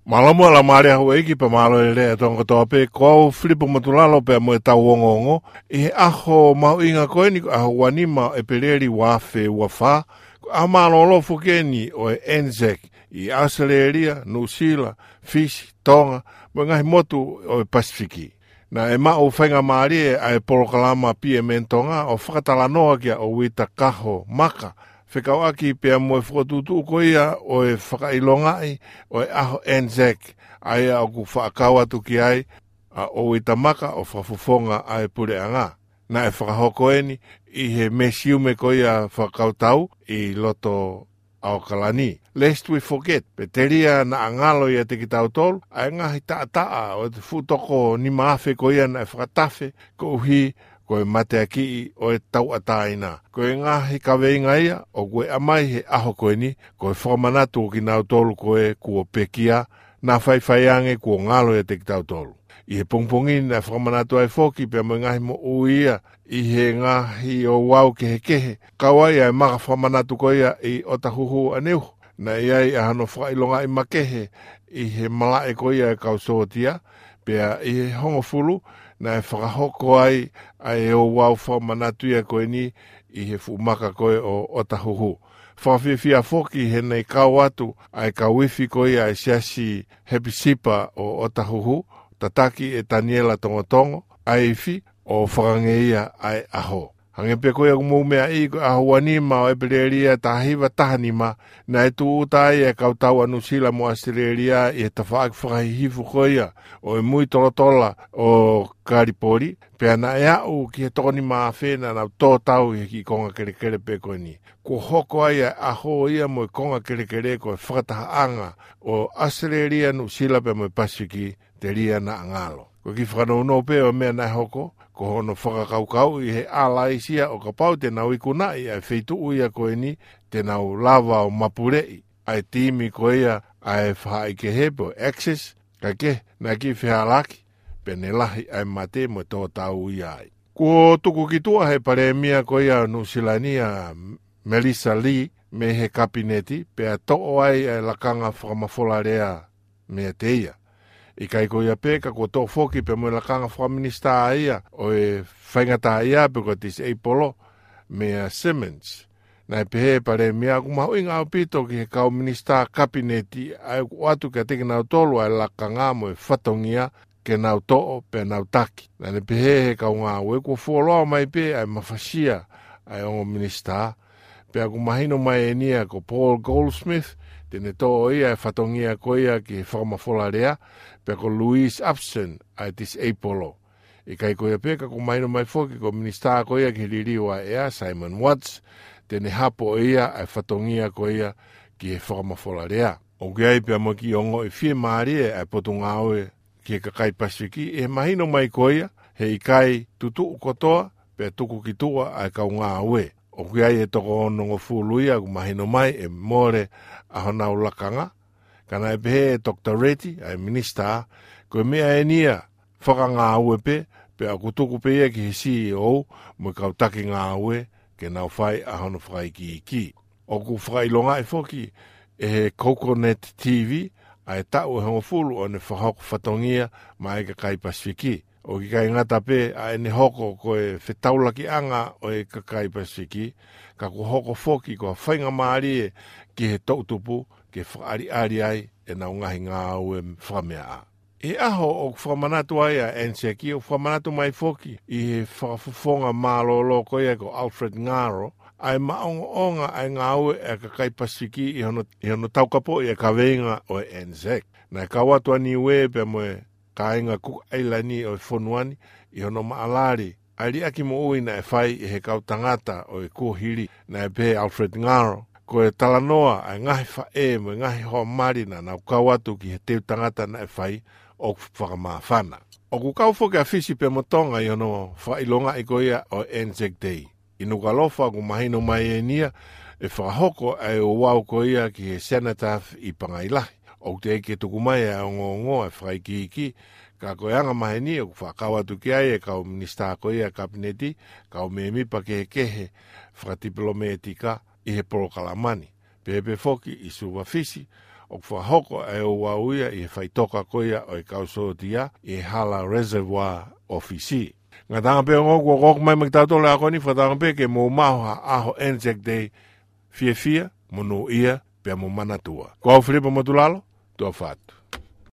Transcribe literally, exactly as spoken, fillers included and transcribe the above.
Mālō muʻa Laumālie ʻa Houʻeiki pea mālō e lelei ʻa e Tonga kotoa pē. Ko au Filipo Motulalo pea mo e tau ongoongo ʻi he ʻaho mahuʻinga ko eni, ko e ʻaho ua nima ʻo ʻEpeleli ua afe ua fā, ko e ʻaho mālōlō foki eni ʻo e ANZAC ʻi ʻAositelēlia, Nuʻusila, Fisi, Tonga, mo e ngaahi motu ʻo e Pasifiki. Naʻe maʻu faingamālie ʻa e polokalama BMN Tonga ʻo fakatalanoa kia Ouita Kaho Maka, fekauʻaki pea mo e fokotuʻutuʻu ko ia ʻo e fakaʻilongaʻi ʻo e ʻaho ANZAC, ʻa ia ʻoku faʻa kau atu ki ai ʻa Ouita Maka ʻo fakafofonga ʻa e puleʻanga. Naʻe fakahoko eni ʻi he mesiume ko ia fakakautau ʻi loto ʻAokalani. Lest we forget, pea telia naʻa ngalo ʻiate kitautolu ʻa e ngaahi taʻataʻa ʻo e fuʻu toko nima afe ko ia naʻe fakatafe koeʻuhi ko e mateakiʻi ʻo e tauʻatāina. Ko e ngaahi kaveinga ia ʻoku ʻomai he ʻaho ko eni, ko e fakamanatu ʻo kinautolu ko ē kuo pekia, naʻa faifai ange kuo ngalo ʻiate kitautolu. ʻI he pongipongi ni naʻe fakamanatu ai foki pea mo e ngaahi moʻui ia ʻi he ngaahi ouau kehekehe, kau ai ʻa e maka fakamanatu ko ia ʻi ʻOtahuhu ʻaneuhu. Naʻe ʻi ai ʻa hono fakaʻilongaʻi makehe ʻi he malaʻe ko ia e kau sōtia, pea ʻi he hongofulu naʻe fakahoko ai ʻa e ouau fakamanatu ia ko eni ʻi he fuʻu maka ko ē ʻo ʻOtahuhu. Fakafiefia foki he naʻe kau atu ʻa e kau ifi ko ia ʻa e Siasi Hepisipa ʻo ʻOtahuhu, tataki ʻe Taniela Tongotongo ʻa e ifi, ʻo fakangeia ʻa e ʻaho. Hangē pē ko ia ʻoku mou meaʻi, ko e ʻaho ua nima ʻo ʻEpeleli ʻa e taha hiva taha nima, naʻe tūʻuta ai e kau tau ʻa Nuʻusila mo ʻAositelēlia ʻi he tafaʻaki fakahihifo ko ia ʻo e Mui Tolotola ʻo Kalipoli, pea naʻe aʻu ki he toko nima afe naʻa nau tō tau ʻi he kiʻi konga kelekele pē ko eni. Kuo hoko ai ʻa e ʻaho ia mo e konga kelekele ko e fakatahaʻanga ʻo ʻAositelēlia, Nuʻusila pea mo e Pasifiki, telia naʻa ngalo. Ko e kiʻi fakanounou pē ʻo e meʻa naʻe hoko, ko hono fakakaukauʻi ʻe he Allies ia ʻo kapau te nau ikunaʻi ʻa e feituʻu ia ko eni, te nau lava ʻo mapuleʻi ʻa e timi ko ia ʻa e faʻahikehe pe ko e Axis, kae kehe, naʻe kiʻi fehālaaki, pea ne lahi ʻa e mate mo e tō tau ia ai. Kuo tuku ki tuʻa ʻe he Palēmia ko ia ʻo Nuʻusila ni ʻa Melissa Lee mei he Kapineti, pea toʻo ai ʻa e lakanga fakamafola lea meiate ia. ʻIkai ko ia pē, ka kuo toʻo foki pea mo e lakanga fakaminisitā ia ʻo e faingataʻaʻia pe ko e disabled meia Simmonds. Naʻe pehē ʻe he Palēmia ʻoku mahuʻinga ʻaupito ki he kau minisitā Kapineti ʻa ia ʻoku ʻoatu kiate kinautolu ʻa e lakanga mo e fatongia ke nau toʻo pea nau taki. Naʻa ne pehē ʻe he kau ngāue kuo fuoloa mai pē ʻa e mafasia ʻa e ongo minisitā, pea ʻoku mahino mai eni ia ko Paul Goldsmith, te ne toʻo ia e fatongia ko ia ki he fakamafola lea, pea ko Louise Upson ʻa e disabled. ʻIkai ko ia pē, ka ʻoku mahino mai foki ko e minisitā ko ia ki he liliu ʻa e ʻea, Simon Watts, te ne hapo ʻe ia ʻa e fatongia ko ia ki he fakamafola lea. ʻOku ʻi ai pea mo e kiʻi ongoʻi fiemālie ʻa e Potungāue ki he kakai Pasifiki, ʻi he mahino mai ko ia he ʻikai tutuʻu kotoa pea tuku ki tuʻa ʻa e kau ngāue. ʻOku ʻi ai e toko onongofulu ia ʻoku mahino mai ʻe mole ʻa honau lakanga. Ka naʻe pehē ʻe Toketā Reti, ʻa e minisitā, ko e meʻa eni ia fakangāue pē, pea ʻoku tuku pē ia ki he CEO mo e kau taki ngāue ke nau fai ʻa hono fakaikiiki. ʻOku fakaʻilongaʻi foki ʻe he Coconet TV ʻa e taʻu ʻe hongofulu ʻo ʻene fakahoko fatongia maʻa e kakai Pasifiki. ʻOku ʻikai ngata pē ʻa ʻene hoko ko e fetaulakiʻanga ʻo e kakai Pasifiki, ka kuo hoko foki ko ha faingamālie ki he toʻutupu ke fakaʻaliʻali ai ʻenau ngaahi ngāue fakameaʻa. ʻI he ʻaho ʻoku fakamanatu ai ʻa e ANZAC, ʻoku fakamanatu mai foki ʻe he fakafofonga mālōlō ko ia ko Alfred Ngaro ʻa e maʻongoʻonga ʻa e ngāue ʻa e kakai Pasifiki ʻi hono, ʻi hono taukapoʻi ʻa e kaveinga ʻo e ANZAC. Naʻe kau atu ʻa Niuē pea mo e kāinga Kuki ʻAilani ʻo e fonua ni ʻi hono maʻalali ʻa e liʻaki moʻui naʻe fai ʻe he kau tangata ʻo e kuohili. Naʻe pehē ʻe Alfred Ngaro, ko e talanoa ʻa e ngaahi faʻē mo e ngaahi hoa mali naʻa nau kau atu ki he teu tangata naʻe fai ʻoku fakamāfana. ʻOku kau foki ʻa Fisi pea mo Tonga ʻi hono fakaʻilongaʻi ko ia ʻo e ANZAC Day. ʻI Nukuʻalofa ʻoku mahino mai eni ia ʻe fakahoko ʻa e ouau ko ia ki he Cenotaph ʻi Pangai Lahi. ʻOku teʻeki ke tuku mai ʻa e ongoongo ʻa e fakaikiiki, ka ko e anga maheni ʻoku faʻa kau atu ki ai e kau minisitā ko ia ʻa e Kapineti, kau mēmipa kehekehe fakatipilōmētika ʻi he polokalama ni. Pehē pē foki ʻi Suva, Fisi, ʻoku fakahoko ʻa e ouau ia ʻi he faʻitoka ko ia ʻo e kau sōtia ʻi he hala Reservoir ʻo Fisi. Ngataʻanga pē ongo kuo ʻoku mai maʻa kitautolu ʻa e ako ni, fakatauange pē ke mou maʻu ha ʻaho Anzac Day fiefia, monūʻia, pea mo manatua. Ko au Filipa Motulalo, tuʻa ʻofa atu.